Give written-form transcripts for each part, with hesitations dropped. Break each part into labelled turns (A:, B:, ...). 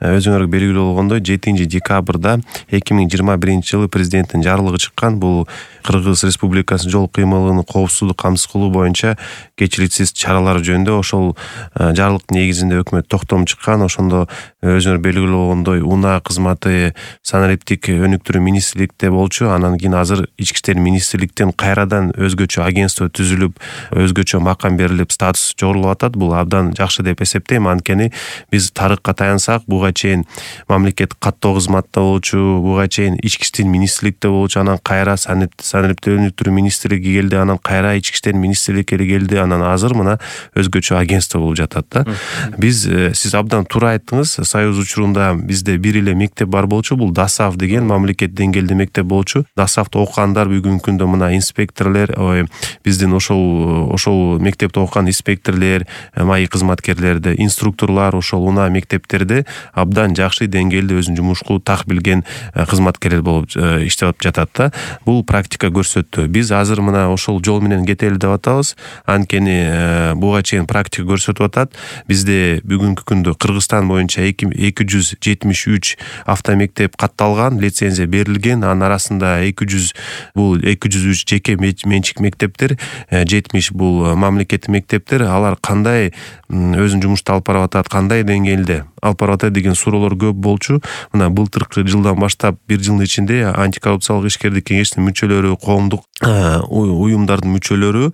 A: өзүңөргө белгилүү болгондой 7-декабрда 2021-жылы президенттин жарлыгы чыккан. Бул Кыргыз Республикасынын жол кыймылынын коопсуздук камсыз кылуу боюнча кечириликсиз чаралар жөнүндө ошол жарлыктын негизинде өкмөт токтом чыккан. Ошондо өзүңөр белгилүү болгондой унаа кызматы санариптик өнүктүрүү министрликте болчу. Анан кийин азыр ички иштер министрликтен кайрадан өзгөчө агентство түзүлүп, өзгөчө макам берилип, статус жогорулап атат. Бул абдан жакшы деп эсептейм. Анткени биз тарыхка таянсак, буга чейин мамлекеттик каттоо кызматта болчу, буга чейин ички иштер министрликте болчу, анан кайра санариптик өнүктүрүү министрлиги келди, анан кайра ички иштер министрлиги келди, анан азыр мына өзгөчө агентство болуп жатат да. Биз сиз абдан туура айттыңыз. Союз учурунда бизде бир эле мектеп бар болчу. Бул ДАСАФ деген мамлекет деңгээлде мектеп болчу. ДАСАФта окугандар бүгүнкү күндө мына инспекторлор, биздин ошол мектепте окуган инспекторлор, маи кызматкерлерди, инструкторлор ошол унаа мектептерде абдан жакшы деңгээлде өзүнүн жумушку так билген кызматкерлер болуп иштеп жатат да. Бул практика көрсөттү. Биз азыр мына ошол жол менен кетели деп атабыз. Анткени буга чейин практика көрсөтүп атат. Бизде бүгүнкү күндө Кыргызстан боюнча 273 автомектеп катталган, лицензия берилген. Анын арасында 203 жеке менчик мектептер, 70 бул мамлекеттик мектептер. Алар кандай өзүнүн жумушту алып барып атат, кандай деңгээлде алып барып атат деген суроолор көп болчу. Мына былтыркы жылдан баштап бир жылдын ичинде антикоррупциялык ишкердик кеңештин мүчөлөрү, коомдук уюмдардын мүчөлөрү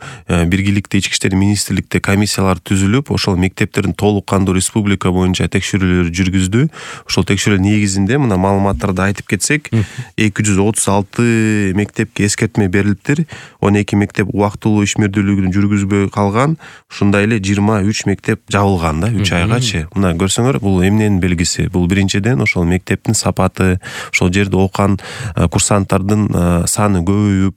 A: биргеликте ички иштер министрликте комиссиялар түзүлүп, ошол мектептердин толук кандуу республика боюнча текшерүүлөр жүргүздү. Ошол текшерүү негизинде мына маалыматтарды айтып кетсек, 236 мектепке эскертме берилиптир. 12 мектеп убактылуу ишмердүүлүгүн жүргүзбөй калган. Ушундай эле 23 мектеп жабылган да 3 айгачы. Мына көрсөңөр, бул эмненин белгиси? Бул биринчиден ошол мектептин сапаты, ошол жерде окуган курсанттардын саны көбөйүп,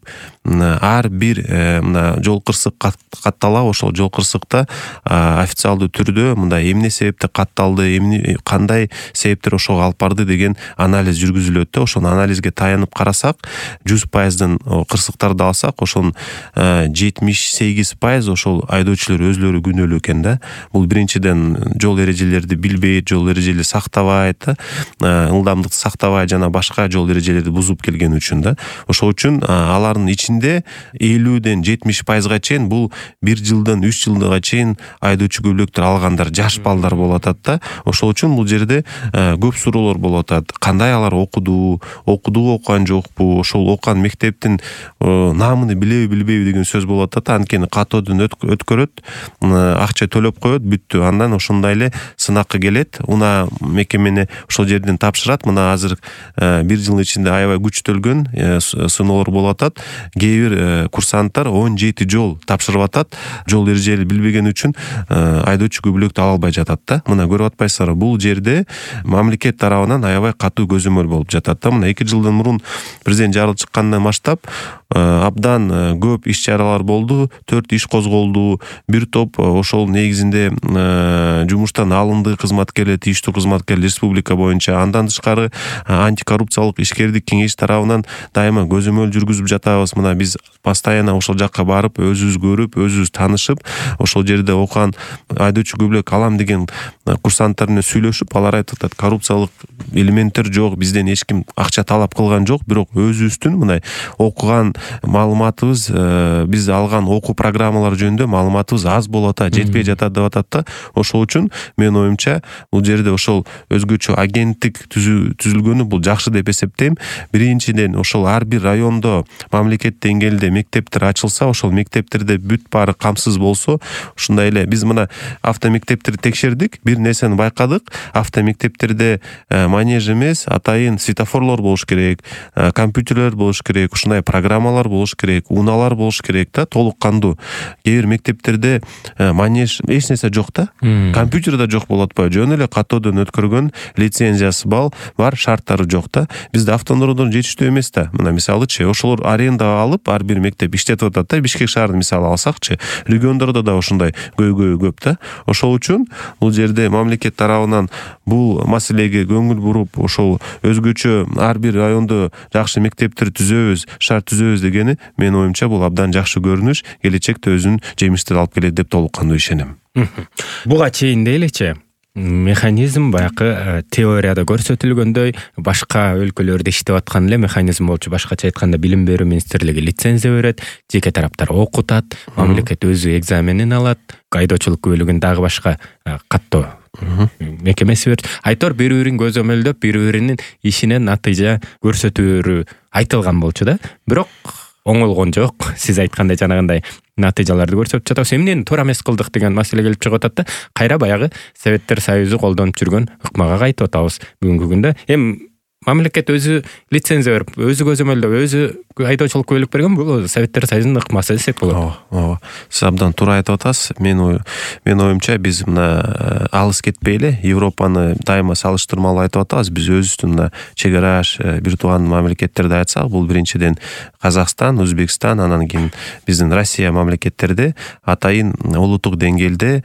A: ар бир мына жол кырсык катталат. Ошол жол кырсыкта официалдуу түрдө мында эмне себептен катталды, кандай себептер ошого алып барды деген анализ жүргүзүлөт да. Ошол анализге таянып карасак, 100%дын кырсыктарды алсак, ошонун 78% ошол айдоочулар өзлөрү күнөөлүү экен да. Бул биринчиден жол эрежелерди билбейт, жол эрежелери сактабайт да, ылдамдыкты сактабай жана башка жол эрежелерди бузуп келген үчүн да. Ошол үчүн алардын ичинде 50-ден 70%га чейин бул 1 жылдан 3 жылга чейин айдоочу көбүлүктөр алгандар, жаш балдар болуп атат да. Ошол үчүн бул жерде көп суроолор болуп атат. Кандай алар окуган жокпу, ошол окуган мектептин наамын билеби билбейби деген сөз болуп атат. Анткени катоодон өткөрөт, акча төлөп коет, бүттү. Андан ошондой эле сынакка келет, унаа мекемени ошол жерден тапшырат. Мына азыр бир жылдын ичинде аябай күчтөлгөн сыноолор болуп атат. Кээ бир курсанттар 17 жол тапшырып атат. Жол эрежелери билбеген үчүн айдоочу көбүлүктү ала албай жатат да. Мына көрүп атпайсыздарбы, бул жерде мамлекет тарабынан аябай катуу көзөмөл болуп жатат да. Мына 2 жылдан мурун президент жарлыгы чыккандан баштап абдан көп иш чаралар болду, 4 иш козголду. Бир топ ошол негизинде жумуштан алынды кызматкерлер, тийиштүү кызматкерлер республика боюнча. Андан тышкары антикоррупциялык ишкердик кеңеш тарабынан дайыма көзөмөл жүргүзүп жатабыз. Мына биз постоянно ошол жакка барып, өзүбүз көрүп, өзүбүз таанышып, ошол жерде окуган айдоочу көбүлүк алам деген курсанттар менен сүйлөшүп, алар айтып атат, коррупциялык элементтер жок, бизден эч ким акча талап кылган жок, бирок өзүбүздүн мындай окуган маалыматыбыз, биз алган окуу программалары жөнүндө маалыматыбыз аз болуп атат, жетпей жатат деп атат да. Ошол үчүн менин оюмча бул жерде ошол өзгөчө агенттик түзүлгөнү бул жакшы деп эсептейм. Биринчиден ошол ар бир райондо мамлекет деңгээлде мектептер ачылса, ошол мектептерде бүт баары камсыз болсо, ушундай эле биз мына автомектептерди текшердик, бир нерсени байкадык. Автомектептерде манеж эмес, атайын светофорлор болуш керек, компьютерлер болуш керек, ушундай программалар болуш керек, унаалар болуш керек да, толук кандуу. Кээ бир мектептерде манеж эч нерсе жок да, компьютер да жок болуп атпайбы, жөн эле катоодон өткөргөн лицензиясы бар, шарттары жок да. Бизде автодордон жетиштүү эмес да. Мына мисалычы, ошолор арендага алып, ар бир мектеп иштетип атат да. Бишкек шаарын мисалы алсакчы, региондордо да ушундай көп да. Ошол үчүн бул жерде мамлекет тарабынан бул маселеге көңүл буруп, ошол өзгөчө ар бир райондо жакшы мектептер түзөбүз, шарт түзөбүз дегени менин оюмча бул абдан жакшы көрүнүш, келечекте өзүнүн жемиштерин алып келет деп толук кандуу ишенем.
B: Буга чейин дейличи, Механизм баягы теорияда көрсөтүлгөндөй башка өлкөлөрдө иштеп аткан эле механизм болчу. Башкача айтканда билим берүү министрлиги лицензия берет, жеке тараптар окутат, мамлекет өзү экзаменин алат, айдоочулук күбөлүгүн дагы башка каттоо мекемеси берет. Айтор бири-бирин көзөмөлдөп, бири-биринин ишинен натыйжа көрсөтүүрү айтылган болчу да. Бирок оңолгон жок. Сиз айткандай жанагындай натыйжаларды көрсөтүп жатабыз. Эмнени туура эмес кылдык деген маселе келип чыгып атат да. Кайра баягы Советтер Союзу колдонуп жүргөн ыкмага кайтып атабыз бүгүнкү күндө. Мамлекет өзү лицензия берип, өзү көзөмөлдөп, өзү айдоочулук күбөлүк берген, бул Советтер Союзунун ыкмасы десек болот.
A: Ооба. Сиз абдан туура айтып атасыз. Менин оюмча биз мына алыс кетпейли, Европаны дайыма салыштырмалуу айтып атабыз. Биз өзүбүздүн мына чек араш бир тууган мамлекеттерди айтсак, бул биринчиден Казакстан, Өзбекстан, анан кийин биздин Россия мамлекеттерде атайын улуттук деңгээлде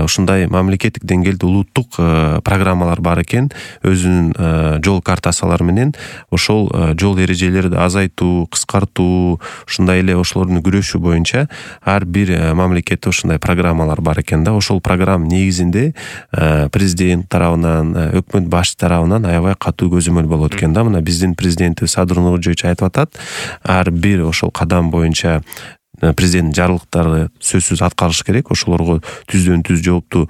A: ушундай мамлекеттик деңгээлде улуттук программалар бар экен. Өзүнүн жол картасалары менен ошол жол эрежелерди азайтуу, кыскартуу, ушундай эле ошолордун күрөшүү боюнча ар бир мамлекетте ушундай программалар бар экен да. Ошол программа негизинде президент тарабынан, өкмөт башчы тарабынан аябай катуу көзөмөл болот экен да. Мына биздин президентибиз Садыр Нуркожоевич айтып атат, ар бир ошол кадам боюнча президенттин жарлыктары сөзсүз аткарылыш керек. Ошолорго түздөн түз жооптуу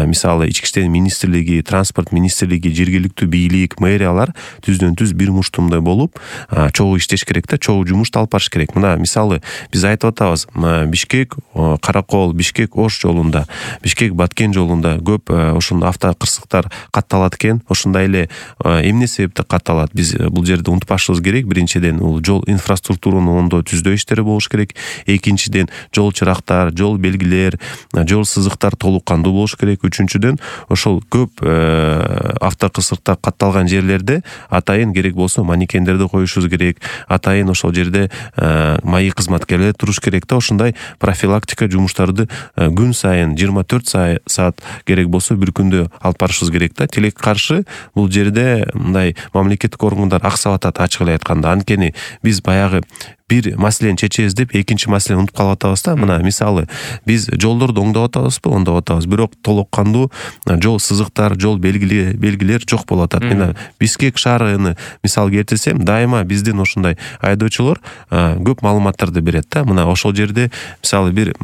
A: мисалы ички иштер министрлиги, транспорт министрлиги, жергиликтүү бийлик, мэриялар түздөн түз бир муштумдай болуп чогуу иштеш керек да, чогуу жумушту алып барыш керек. Мына мисалы биз айтып атабыз, Бишкек Каракол, Бишкек Ош жолунда, Бишкек Баткен жолунда көп ошондой автокырсыктар катталат экен. Ошондой эле эмне себептен катталат? Биз бул жерде унутпашыбыз керек. Биринчиден бул жол инфраструктураны оңдоо, түздөө иштери болуш керек. Экинчиден жол чырактар, жол белгилер, жол сызыктар толук кандуу болуш керек. Үчүнчүдөн ошол көп автокырсыктар катталган жерлерде атайын керек болсо манекендерди коюшубуз керек. Атайын ошол жерде маек кызматкерлери туруш керек да. Ошондой профилактика жумуштарды күн сайын 24 саат керек болсо бир күндө алып барышыбыз керек да. Тилекке каршы бул жерде мындай мамлекеттик органдар аксап атат, ачык эле айтканда. Анткени биз баягы бир маселени чечебиз деп экинчи маселени унутуп калып атабыз да. Мына мисалы биз жолдорду оңдоп атабызбы? Оңдоп атабыз. Бирок толук кандуу жол сызыктар, жол белгилер жок болуп атат. Мен Бишкек шаарыны мисал келтирсем, дайыма биздин ошондой айдоочулар көп маалыматтарды берет да. Мына ошол жерде мисалы бир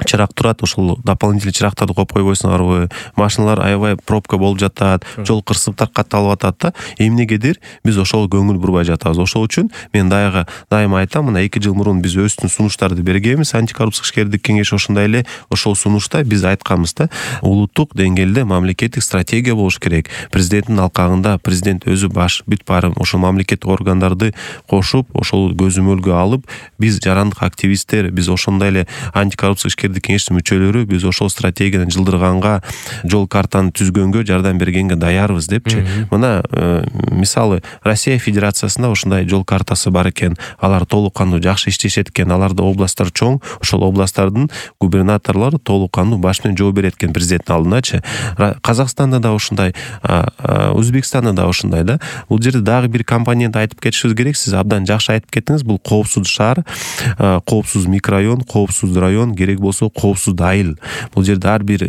A: чырак турат, ошол дополнительный чырактарды коюп койбойсуңарбы? Машиналар аябай пробка болуп жатат, жол кырсыктар катталып атат да. Эмнегедир биз ошого көңүл бурбай жатабыз. Ошол үчүн мен дайыма айтам, мына 2 жыл мурун биз өздүн сунуштарды бергенбиз. Антикоррупциялык ишкердик кеңеш ошондой эле ошол сунушта биз айтканбыз да. Улуттук деңгээлде мамлекеттик стратегия болуш керек. Президенттин алкагында президент өзү бүт баары ошол мамлекеттик органдарды кошуп, ошол көзөмөлгө алып, биз жарандык активисттер, биз ошондой эле антикоррупциялык кеңештин мүчөлөрү биз ошол стратегияны жылдырганга, жол картаны түзгөнгө, жардам бергенге даярбыз депчи. Мына мисалы Россия Федерациясында ошондой жол картасы бар экен. Алар толук кандуу жакшы иштешет экен. Аларда областтар чоң. Ошол областтардын губернаторлору толук кандуу баш менен жооп берет экен президенттин алдындачы. Казакстанда да ошондой, Өзбекстанда да ошондой да. Бул жерде дагы бир компонент айтып кетишибиз керек. Сиз абдан жакшы айтып кеттиңиз. Бул коопсуз шаар, коопсуз микрорайон, коопсуз район, керек болсо коопсуз айыл. Бул жерде ар бир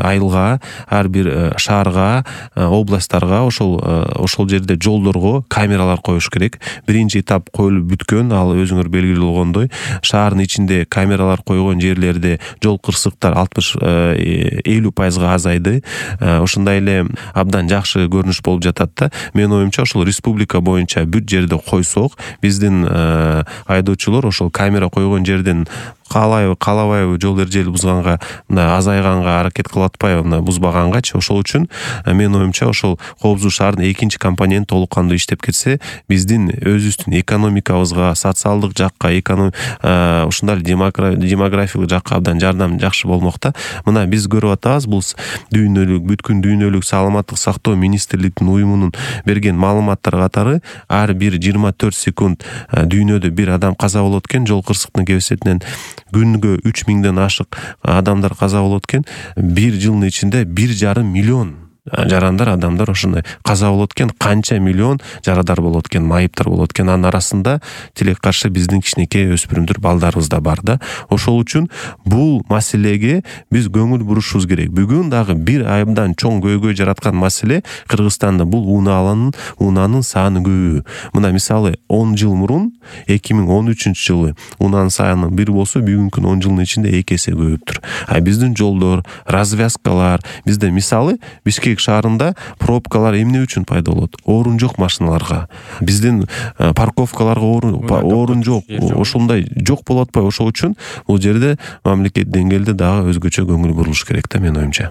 A: айылга, ар бир шаарга, областтарга ошол жерде жолдорго камералар коюш керек. Биринчи этап коюлуп бүткөн, ал өзүңөр белгилүү болгондой, шаардын ичинде камералар койгон жерлерде жол кырсыктар 60-50% азайды. Ошондой эле абдан жакшы көрүнүш болуп жатат да. Менин оюмча ошол республика боюнча бүт жерде койсок, биздин айдоочулар ошол камера койгон жерден каалабайбы жол эрежелери бузганга, азайганга аракет кылып атпайбы, бузбагангачы. Ошол үчүн менин оюмча ошол коопсуз шаардын экинчи компоненти толук кандуу иштеп кетсе, биздин өзүбүздүн экономикабызга, социалдык жакка, ушундай демографиялык жакка абдан жардам жакшы болмок да. Мына биз көрүп атабыз, бул бүткүн дүйнөлүк саламаттык сактоо министрлигинин уюмунун берген маалыматтар катары ар бир 24 секунд дүйнөдө бир адам каза болот экен жол кырсыктын кесепетинен. Күнгө 3000ден ашык адамдар каза болот экен. 1 жылдын ичинде 1,5 миллион жарандар, адамдар ошондой каза болот экен, канча миллион жарадар болот экен, майыптар болот экен. Анын арасында тилекке каршы биздин кичинекей өспүрүмдөр, балдарыбыз да бар да. Ошол үчүн бул маселеге биз көңүл бурушубуз керек. Бүгүн дагы бир айымдан чоң көйгөй жараткан маселе Кыргызстанда бул унаанын саны көбү. Мына мисалы 10 жыл мурун 2013-жылы унаанын саны 1 болсо, бүгүнкү 10 жылдын ичинде 2 эсе көбүптүр. Биздин жолдор, развязкалар, бизде мисалы Бишкек шаарында пробкалар эмне үчүн пайда болот? Орун жок машиналарга. Биздин парковкаларга орун жок. Ошондой жок болуп атпайбы? Ошол үчүн бул жерде мамлекет деңгээлде дагы өзгөчө көңүл бурулуш керек да, менин оюмча.